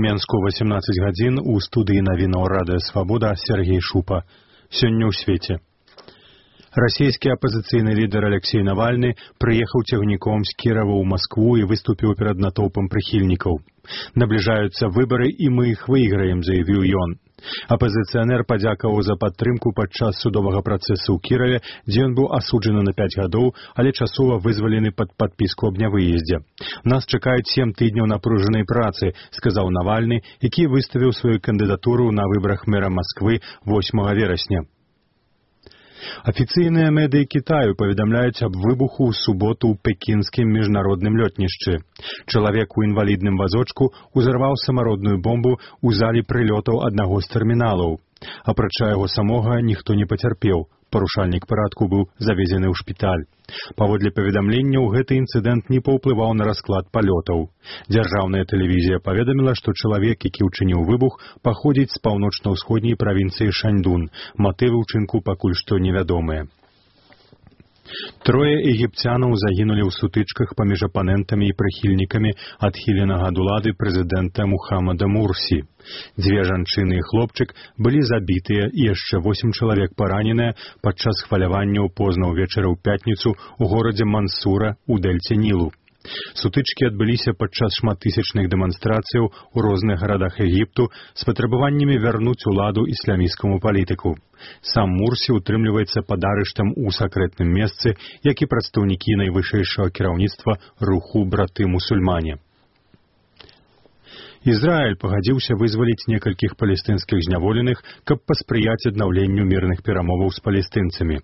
Менску 18 гадзін у студыі навінаў Радыё Свабода Сергей Шупа. Сёння ў свеце. Расійскі апазіцыйны лідар Алексей Навальны прыехаў цягніком з Кірава ў Маскву і выступіў перад натоўпам прыхільнікаў. Набліжаюцца выбары, і мы іх выйграем, заявіў ён. Апазіцыянер падзякаваў за падтрымку падчас судовага працэсу ў Кіраве, дзе ён быў асуджаны на 5 гадоў, але часова вызвалены пад падпіску аб нявыездзе. Нас чакаюць 7 тыдняў напружанай працы, сказаў Навальны, які выставіў сваю кандыдатуру на выбарах мэра Масквы 8 верасня. Афіцыйныя медыі Кітаю паведамляюць аб выбуху ў суботу ў пекінскім міжнародным лётнішчы. Чалавек у інвалідным вазочку узарваў самародную бомбу ў залі прылётаў аднаго з тэрміналаў. Апрача яго самога ніхто не пацярпеў. Парушальнік парадку быў завезены ў шпіталь. Паводле паведамленняў, гэты інцыдэнт не паўплываў на расклад палётаў. Дзяржаўная тэлевізія паведаміла, што чалавек, які ўчыніў выбух, паходзіць з паўночна-ўсходняй правінцыі Шаньдун. Матывы ўчынку пакуль што невядомыя. 3 егіпцянаў загінулі ў сутычках паміж апанентамі і прыхільнікамі адхіленага ад улады прэзідэнта Мухаммада Мурсі. 2 жанчыны і хлопчык былі забітыя і яшчэ 8 чалавек параненыя падчас хваляванняў позна ўвечары ў пятніцу ў горадзе Мансура ў дэльце Нілу. Сутычкі адбыліся падчас шматтысячных дэманстрацыяў у розных гарадах Егіпту з патрабаваннямі вярнуць уладу ісламісцкаму палітыку. Сам Мурсі утрымліваецца пад арыштам у сакрэтным месцы, як і прадстаўнікі найвышэйшага кіраўніцтва руху браты-мусульмане. Ізраіль пагадзіўся вызваліць некалькіх палестынскіх зняволеных, каб паспрыяць аднаўленню мірных перамоваў з палестынцамі.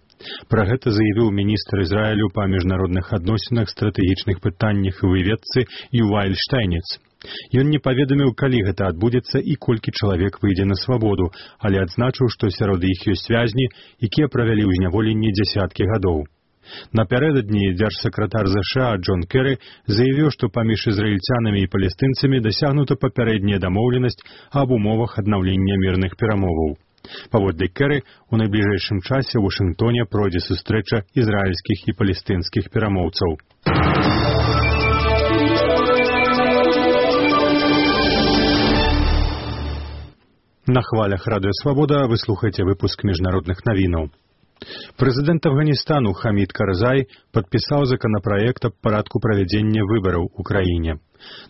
Пра гэта заявіў міністр Ізраілю па міжнародных адносінах, стратэгічных пытаннях і выведцы Юваль Штайніц. Ён не паведаміў, калі гэта адбудзецца і колькі чалавек выйдзе на свабоду, але адзначыў, што сярод іх ёсць вязні, якія правялі ў зняволенні дзясяткі гадоў. Напярэдадні дзяржсакратар ЗША Джон Керры заявіў, што паміж ізраільцянамі і палестынцамі дасягнута папярэдняя дамоўленасць аб умовах аднаўлення мірных перамоваў. Паводле Керры, у найбліжэйшым часе ў Вашынгтоне пройдзе сустрэча ізраільскіх і палестынскіх перамоўцаў. На хвалях Радыё Свабода вы слухаеце выпуск міжнародных навінаў. Прэзідэнт Афганістану Хамід Карзай падпісаў законапраект аб парадку правядзення выбараў у краіне.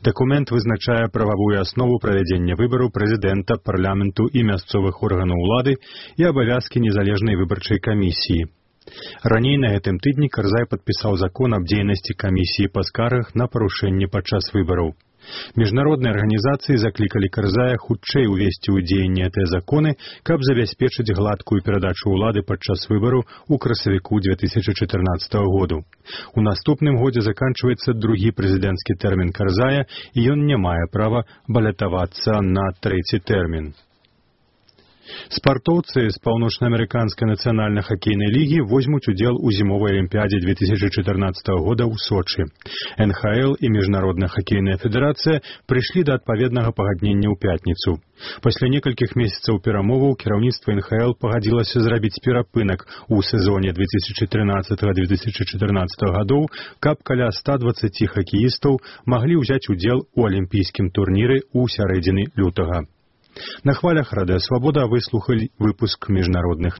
Дакумент вызначае прававую аснову правядзення выбараў прэзідэнта, парламенту і мясцовых органаў улады і абавязкі незалежнай выбарчай камісіі. Раней на гэтым тыдні Карзай падпісаў закон аб дзейнасці камісіі па скаргах на парушэнне падчас выбараў. Міжнародныя арганізацыі заклікалі Карзая хутчэй увесці ў дзеянне гэтыя законы, каб забяспечыць гладкую перадачу ўлады падчас выбараў у красавіку 2014 году. У наступным годзе заканчваецца другі прэзідэнцкі тэрмін Карзая, і ён не мае права балятавацца на 3-й тэрмін. Спартоўцы з паўночнаамерыканскай нацыянальнай хакейнай лігі возьмуць удзел у зімовай алімпіядзе 2014 года ў Сочы. НХЛ і Міжнародная хакейная федэрацыя прыйшлі да адпаведнага пагаднення ў пятніцу. Пасля некалькіх месяцаў перамоваў кіраўніцтва НХЛ пагадзілася зрабіць перапынак у сезоне 2013-2014 гадоў, каб каля 120 хакеістаў маглі ўзяць удзел у алімпійскім турніры ў сярэдзіне лютага. На хвалях Радыё Свабода вы слухалі выпуск міжнародных